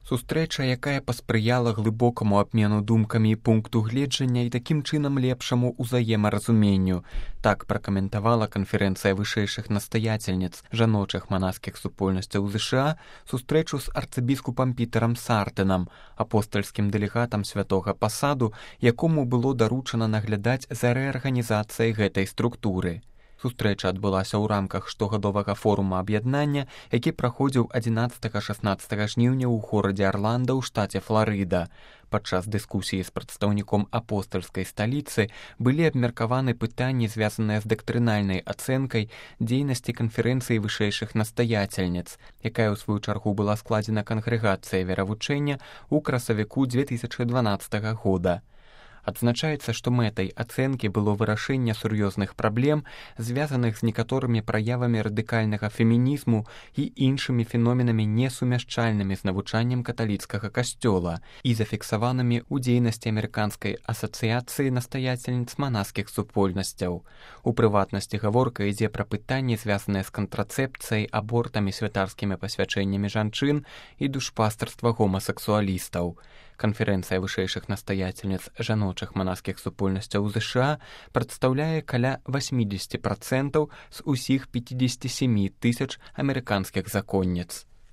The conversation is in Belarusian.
Сустрэча, якая паспрыяла глыбокаму абмену думкамі і пункту гледжання і такім чынам лепшаму ўзаемаразуменню. Так пракаментавала канферэнцыя вышэйшых настаяцельніц жаночых манаскіх супольнасцяў ЗША сустрэчу з арцыбіскупам Пітэрам Сартынам, апостальскім дэлегатам святога пасаду, якому было даручана наглядаць за рэарганізацыяй гэтай структуры. Сустрэча адбылася ў рамках штогадовага форума аб'яднання, які праходзіў 11-16 жніўня ў горадзе Арланда ў штаце Фларыда. Падчас дыскусіі з прадстаўніком апостальскай сталіцы былі абмеркаваны пытанні, звязаныя з дактрынальнай ацэнкай дзейнасці канферэнцыі вышэйшых настаяцельніц, якая ў сваю чаргу была складзена кангрэгацыяй веравучэння ў красавіку 2012 года. Адзначаецца, што мэтай ацэнкі было вырашэнне сур'ёзных праблем, звязаных з некаторымі праявамі радыкальнага фемінізму і іншымі феноменамі несумяшчальнымі з навучаннем каталіцкага касцёла і зафіксаванымі ў дзейнасці амерыканскай асацыяцыі настаяцельніц манаскіх супольнасцяў. У прыватнасці гаворка ідзе пра пытанні, звязаныя з кантрацэпцыяй, абортамі, святарскімі пасвячэннямі жанчын і душпастарства гомасексуалістаў. Канферэнцыя вышэйшых настаяцельніц жаночых манаскіх супольнасцяў ЗША прадстаўляе каля 80% з усіх 57 000 амерыканскіх законніц.